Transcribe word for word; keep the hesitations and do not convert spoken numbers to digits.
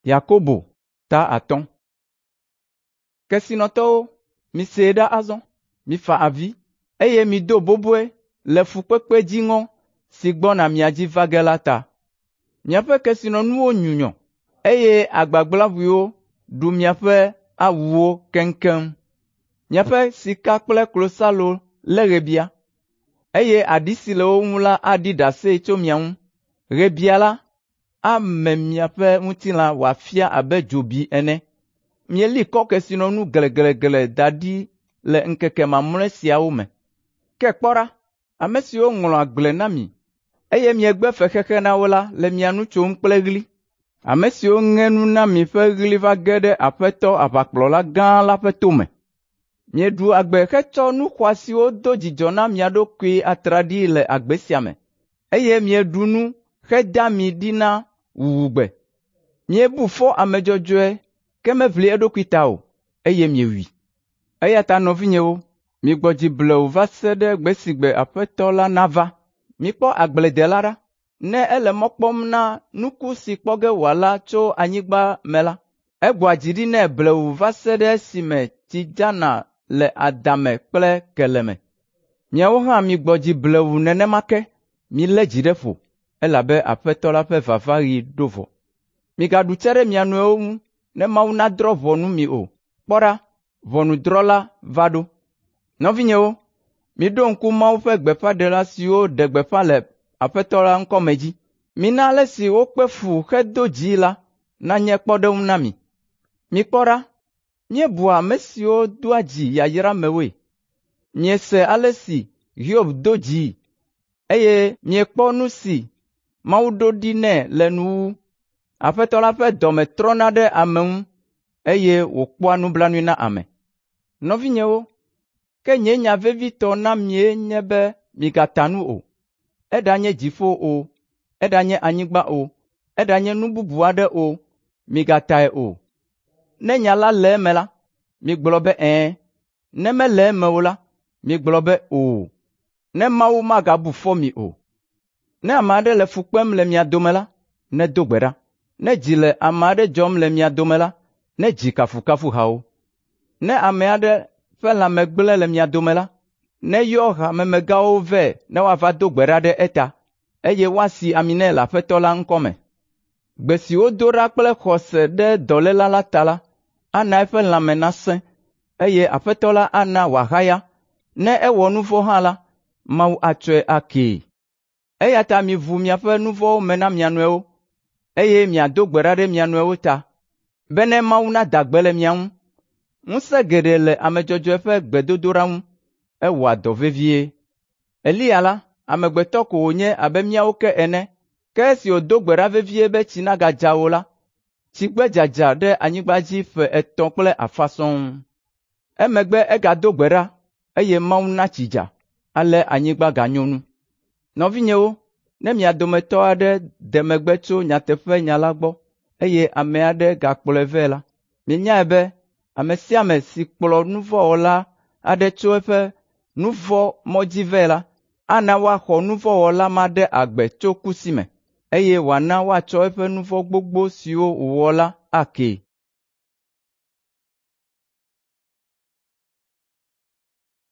Yakobo ta atɔ̃. Kesinɔtɔwo, misee ɖa azɔ, mifa avi, eye mido boboe le fukpekpe dziŋɔ si gbɔna mia dzi va ge la ta. Miaƒe kesinɔnuwo nyunyɔ, eye agbagblaʋuiwo ɖu miaƒe awuwo keŋkeŋ. Miaƒe sika kple klosalo lé ɣebia, eye aɖi si le wo ŋu la aɖi ɖase tso mia ŋu. Ɣebia la ame miaƒe ŋutilã wòafia abe dzobi ene. Mieli kɔ kesinɔnu gleglegle da ɖi le ŋkeke mamlɛ siawo me. Ke kpɔ ɖa, ame siwo ŋlɔ agble na mi, eye miegbe fexexe na wo la le mia nu tsom kple ɣli. Ame siwo ŋe nu na mi ƒe ɣli va ge ɖe Aƒetɔ Aʋakplɔla gã la ƒe tome. Mieɖu agbe hetsɔ nu xɔasiwo do dzidzɔ na mia ɖokui atraɖii le agbe sia me, eye mieɖu nu heda ami ɖi na wuwugbe. Miebu fɔ ame dzɔdzɔe ke meʋli eɖokui ta o, eye miewui. Eya ta nɔvinyewo, migbɔ dzi blewu va se ɖe gbe si gbe Aƒetɔ la nava. Mikpɔ agbledela ɖa. Ne ele mɔ kpɔm na nuku si kpɔ ge wòala tso anyigba me la, egbɔa dzi ɖi nɛ blewu va se ɖe esime tsi dzana le adame kple kele me. Miawo hã migbɔ dzi blewu nenema ke, milé dzi ɖe ƒo, elabe Aƒetɔ la ƒe vavaɣi ɖo vɔ. Migaɖu tse ɖe mia nɔewo ŋu ne Mawu nadrɔ̃ ʋɔnu mi o. Kpɔ ɖa, ʋɔnudrɔ̃la va ɖo. Nɔvinyewo, miɖo ŋku Mawu ƒe gbeƒãɖela siwo ɖe gbeƒã le Aƒetɔ la ŋkɔme dzi. Mina ale si wokpe fu hedo dzi la nanye kpɔɖeŋu na mi. Mikpɔ ɖa, míebua ame siwo doa dzi yayramewoe. Miese ale si Hiob do dzii, eye miekpɔ nu si Mawu ɖo ɖi nɛ le nuwuwu. Aƒetɔ la ƒe dɔme trɔna ɖe ame ŋu, eye wòkpɔa nublanui na ame. Nɔvinyewo, ke nye nya vevitɔ na mie nye be migata nu o. Eɖanye dziƒo o, eɖanye anyigba o, eɖanye nu bubu aɖe o, migatae o. Ne nya la le eme la, migblɔ be ɛ̃; ne mele eme o la, migblɔ be o, ne Mawu magabu fɔ mi o. Ne ame aɖe le fu kpem le mia dome la, nedo gbe ɖa. Ne dzi le ame aɖe dzɔm le mia dome la, nedzi kafukafuhawo. Ne ame aɖe ƒe lãme gblẽ le mia dome la, neyɔ hamemegãwo vɛ ne woava do gbe ɖa ɖe eta, eye woasi ami nɛ le Aƒetɔ la ŋkɔme. Gbe si wodo ɖa kple xɔse ɖe dɔléla la ta la, ana eƒe lãme nasẽ, eye Aƒetɔ la ana wòahaya. Ne ewɔ nu vɔ̃ hã la, Mawu atsɔe akee. Eya ta miʋu miaƒe nu vɔ̃wo me na mia nɔewo, eye miado gbe ɖa ɖe mia nɔewo ta, bene Mawu nada gbe le mia ŋu. Ŋusẽ geɖe le ame dzɔdzɔe ƒe gbedodoɖa ŋu, ewɔa dɔ vevie. Eliya la, amegbetɔ ko wònye abe míawo ke ene, ke esi wòdo gbe ɖa vevie be tsi nagadza o la, tsi gbe dzadza ɖe anyigba dzi ƒe etɔ̃ kple afã sɔŋ. Emegbe egado gbe ɖa, eye Mawu na tsi dza, ale anyigba ganyo nu. Nɔvinyewo, ne mia dometɔ aɖe de megbe tso nyateƒenya la gbɔ, eye ame aɖe gakplɔe vɛ la, minyae be ame sia ame si kplɔ nu vɔ̃ wɔla aɖe tso eƒe nu vɔ̃ mɔ dzi vɛ la, ana woaxɔ nu vɔ̃ wɔla ma ɖe agbe tso ku si me, eye wòana woatsɔ eƒe nu vɔ̃ gbogbo siwo wòwɔ la akee.